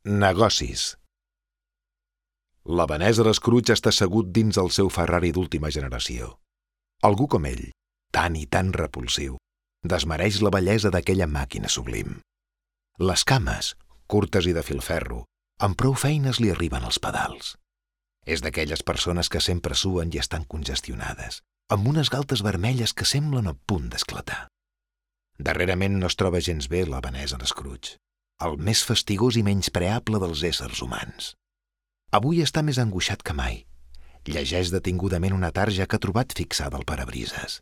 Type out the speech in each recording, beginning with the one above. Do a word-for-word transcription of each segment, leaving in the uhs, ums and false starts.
Negocis. L'Ebenezer Scrooge està assegut dins el seu Ferrari d'última generació. Algú com ell, tan i tan repulsiu, desmereix la bellesa d'aquella màquina sublim. Les cames, curtes i de filferro, amb prou feines li arriben als pedals. És d'aquelles persones que sempre suen i estan congestionades, amb unes galtes vermelles que semblen a punt d'esclatar. Darrerament no es troba gens bé l'Ebenezer Scrooge, el més fastigós i menyspreable dels éssers humans. Avui està més angoixat que mai. Llegeix detingudament una tarja que ha trobat fixada al parabrises.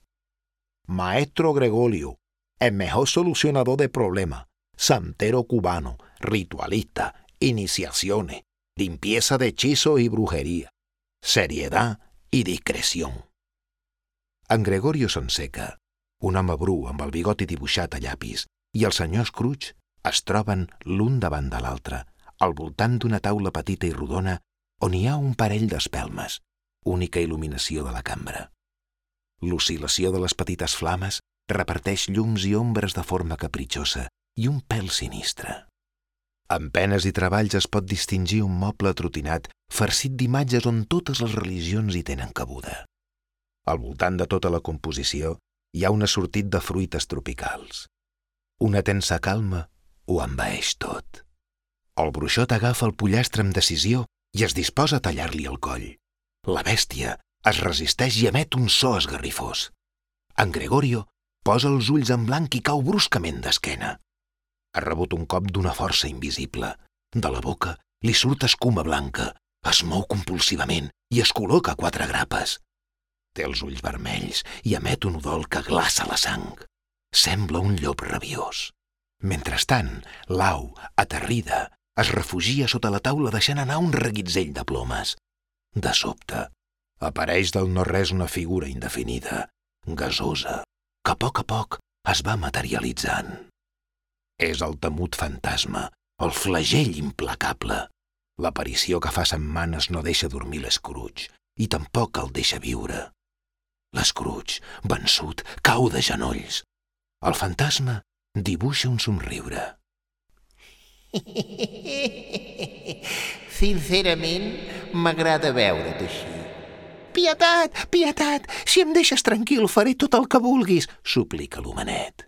Maestro Gregorio, el mejor solucionador de problema, santero cubano, ritualista, iniciaciones, limpieza de hechizo y brujería, seriedad y discreción. En Gregorio Sonseca, un home bru amb el bigoti dibuixat a llapis, i el senyor Scrooge es troben l'un davant de l'altre, al voltant d'una taula petita i rodona on hi ha un parell d'espelmes, única il·luminació de la cambra. L'oscil·lació de les petites flames reparteix llums i ombres de forma capritxosa i un pèl sinistre. Amb penes i treballs es pot distingir un moble atrotinat farcit d'imatges on totes les religions hi tenen cabuda. Al voltant de tota la composició hi ha un assortit de fruites tropicals. Una tensa calma ho envaeix tot. El bruixot agafa el pollastre amb decisió i es disposa a tallar-li el coll. La bèstia es resisteix i emet un so esgarrifós. En Gregorio posa els ulls en blanc i cau bruscament d'esquena. Ha rebut un cop d'una força invisible. De la boca li surt escuma blanca, es mou compulsivament i es col·loca quatre grapes. Té els ulls vermells i emet un udol que glaça la sang. Sembla un llop rabiós. Mentrestant, l'au, aterrida, es refugia sota la taula deixant anar un reguitzell de plomes. De sobte, apareix del no-res una figura indefinida, gasosa, que a poc a poc es va materialitzant. És el temut fantasma, el flagell implacable. L'aparició que fa setmanes no deixa dormir l'Scrooge i tampoc el deixa viure. L'Scrooge, vençut, cau de genolls. El fantasma dibuixa un somriure. Sincerament, m'agrada veure't així. Pietat, pietat, si em deixes tranquil faré tot el que vulguis, suplica l'homenet.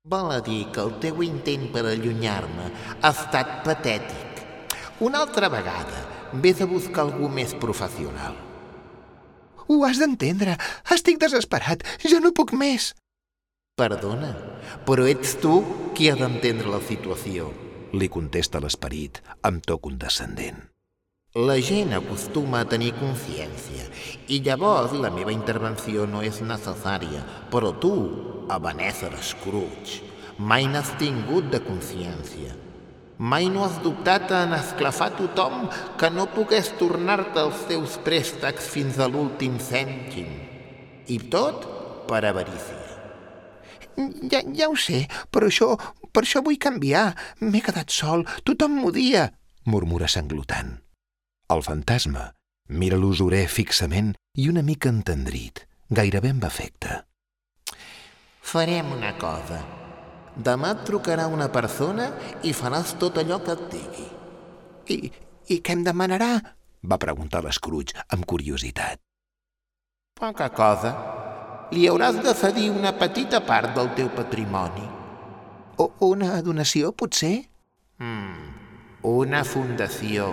Vol a dir que el teu intent per allunyar-me ha estat patètic. Una altra vegada vés a buscar algú més professional. Ho has d'entendre, estic desesperat, ja no puc més. Perdona, però ets tu qui ha d'entendre la situació, li contesta l'esperit amb to condescendent. La gent acostuma a tenir consciència i llavors la meva intervenció no és necessària, però tu, Ebenezer Scrooge, mai n'has tingut de consciència. Mai no has dubtat en esclafar tothom que no pogués tornar-te els teus préstecs fins a l'últim cèntim. I tot per avarícia. Ja, ja ho sé, però això, per això vull canviar. M'he quedat sol, tothom m'odia, murmura sanglotant. El fantasma mira l'usurer fixament i una mica entendrit, gairebé amb afecte. Farem una cosa. Demà et trucarà una persona i faràs tot allò que et digui. I, i què em demanarà? Va preguntar l'Scrooge amb curiositat. Poca cosa. Li hauràs de cedir una petita part del teu patrimoni. O una donació, potser? Mm, una fundació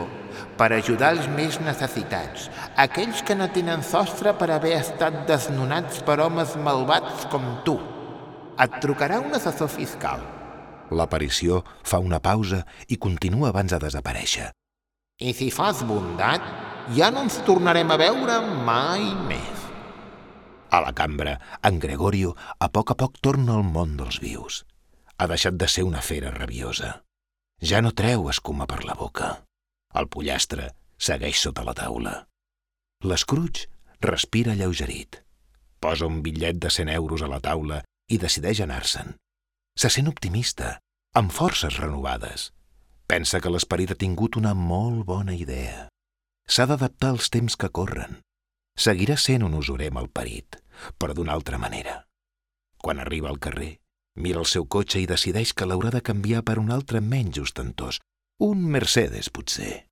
per ajudar els més necessitats, aquells que no tenen sostre per haver estat desnonats per homes malvats com tu. Et trucarà un assessor fiscal. L'aparició fa una pausa i continua abans de desaparèixer. I si fas bondat, ja no ens tornarem a veure mai més. A la cambra, en Gregorio a poc a poc torna al món dels vius. Ha deixat de ser una fera rabiosa. Ja no treu escuma per la boca. El pollastre segueix sota la taula. L'Scrooge respira alleugerit. Posa un bitllet de cent euros a la taula i decideix anar-se'n. Se sent optimista, amb forces renovades. Pensa que l'esperit ha tingut una molt bona idea. S'ha d'adaptar als temps que corren. Seguirà sent un usurer malparit, però d'una altra manera. Quan arriba al carrer, mira el seu cotxe i decideix que l'haurà de canviar per un altre menys ostentós, Un Mercedes, potser.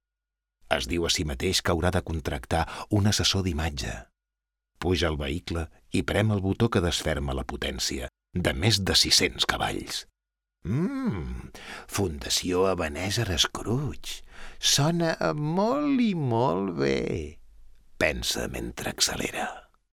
Es diu a si mateix que haurà de contractar un assessor d'imatge. Puja al vehicle i prem el botó que desferma la potència, de més de sis-cents cavalls. Mmm, Fundació Ebenezer Scrooge. Sona molt i molt bé. Pensa mentre accelera.